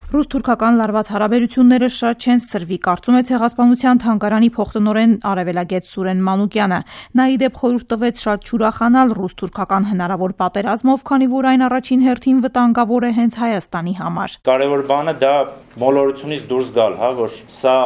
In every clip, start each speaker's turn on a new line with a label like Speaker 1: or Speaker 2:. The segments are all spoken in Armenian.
Speaker 1: Ռուս-թուրքական լարված հարաբերությունները շատ չեն սրվի, կարծում է Ցեղասպանության թանգարանի փոխտնօրեն արևելագետ Սուրեն Մանուկյանը։ Նա ի դեպ խորհուրդ տվեց շատ չուրախանալ ռուս-թուրքական հնարավոր պատերազմով, քանի որ այն առաջին հերթին վտանգավոր է հենց Հայաստանի համար։
Speaker 2: Կարևոր բանը դա մոլորությունից դուրս գալ, որ սա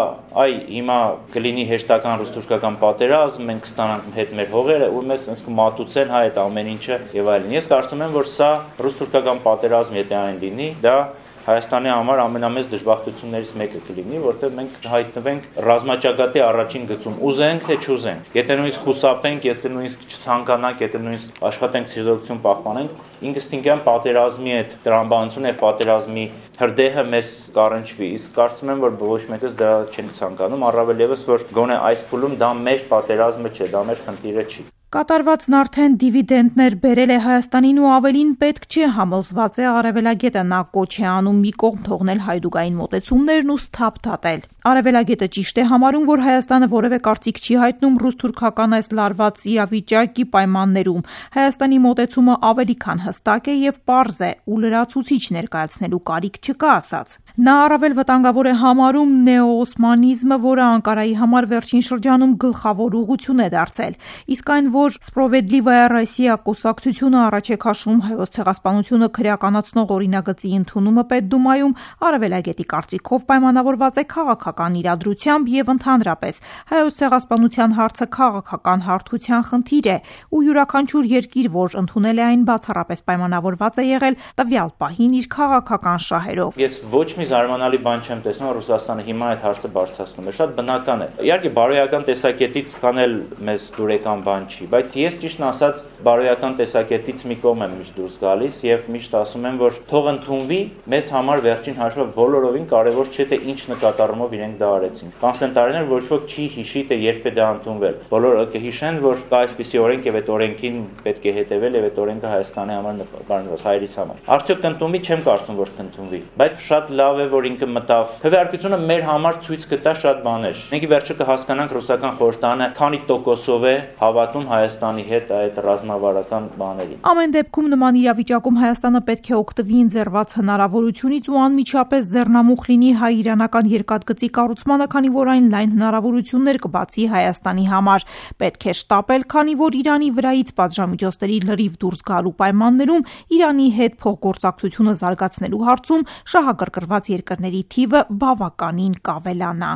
Speaker 2: հիմա կլինի հեշտական ռուս-թուրքական պատերազմ, մենք կստանանք հետ մեր հողերը ու մեզ մատուցեն այդ ամեն ինչը եւ այլն։ Ես կարծում եմ, որ սա ռուս-թուրքական պատերազմ եթե այն լինի, դա Հայաստանի համար ամենամեծ դժբախտություններից մեկը կլինի, որտեղ մենք հայտնվենք ռազմաճակատի առաջին գծում, ուզենք թե չուզենք։ Եթե նույնիսկ խուսափենք, եթե նույնիսկ չցանկանանք, եթե նույնիսկ աշխատենք ցիզորություն պահպանենք, ինստինկտիվ պատերազմի այդ տրամաբանությունը եւ պատերազմի հրդեհը մեզ կառնչվի։ Իսկ կարծում եմ, որ ոչ մեկս դա չեն ցանկանում, առավել եւս որ գոնե այս փուլում դա մեր պատերազմը չէ, դա մեր խնդիրը չի։
Speaker 1: Կատարվածն արդեն դիվիդենդներ բերել է Հայաստանին ու ավելին պետք չէ, համոզված է արևելագետը։ Նա կոչ է անում մի կողմ թողնել հայդուկային մոտեցումներն ու սթափ դատել։ Արևելագետը ճիշտ է համարում, որ Հայաստանը որևէ կարծիք չի հայտնում ռուս-թուրքական այս լարված իրավիճակի պայմաններում։ Հայաստանի մոտեցումը ավելի քան հստակ է եւ պարզ է ու լրացուցիչ ներկայացնելու կարիք չկա ասած։ Նա առավել վտանգավոր է համարում նեոօսմանիզմը, որը Անկարայի համար վերջին շրջանում գլխավոր ուղղություն է դարձել։ Իսկ այն, որ Սպրովեդլիվայա Ռոսիա կուսակցությունը առաջ է քաշում հայոց ցեղասպանությունը քրեականացնող օրինագծի ընդունումը Պետդումայում, արևելագետի կարծիքով պայմանավորված է քաղաքական իրադրությամբ եւ ընդհանրապես հայոց ցեղասպանության հարցը քաղաքական հարթության խնդիր է ու յուրաքանչյուր երկիր, որ ընդունել է այն, բացառապես պայմանավորված է եղել տվյալ պահին իր քաղաքական շահերով։
Speaker 2: Ես ոչ մի զարմանալի բան չեմ տեսնում, որ Ռուսաստանը հիմա այդ հարցը բարձրացնում է, շատ բնական է։ Իհարկե բարոյական տեսակետից կանել մեզ դուրեկան բան չի, բայց ես ճիշտն ասած բարոյական տեսակետից մի կողմ եմ միշտ դուրս գալիս եւ միշտ ասում եմ, որ թող ընդունվի, մեզ համար վերջին հաշվով բոլորովին կարեւոր չէ թե ինչ նկատառումով իրենք դա արեցին։ Կանցնեն տարիներ ոչ ոք չի հիշի թե երբ է դա ընդունվել։ Բոլորը կհիշեն, որ կա այսպիսի օրենք եւ այդ օրենքին պետք է հետեւել եւ այդ օրենքը Հայաստանի համար նպաստված հայրից համար։ Արդյոք կընդունվի, չեմ կարծում, որ կընդունվի, բայց շատ լավ է, որ ինքը մտավ։ Քվեարկությունը մեր համար ցույց կտա շատ բաներ։ Մենք ի վերջո կհասկանանք ռուսական խորհրդանը քանի տոկոսով է հավատում Հայաստանի հետ այդ ռազմավարական բաներին։
Speaker 1: Ամեն դեպքում նման իրավիճակում Հայաստանը պետք է օգտվի ընձեռված հնարավորությունից ու անմիջապես ձեռնամուխ լինի հայ-իրանական երկաթգծի կառուցմանը, քանի որ այն լայն հնարավորություններ կբացի Հայաստանի համար։ Պետք է շտապել, քանի որ Իրանի վրայից պատժամիջոցների լրիվ դուրս գալու պայմաններում Իրանի հետ փոխգործակցությունը զարգացնելու հարցում շահագրգռված երկրների թիվը բավականին կավելանա։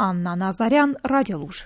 Speaker 1: Աննա Նազարյան, Ռադիոլուր։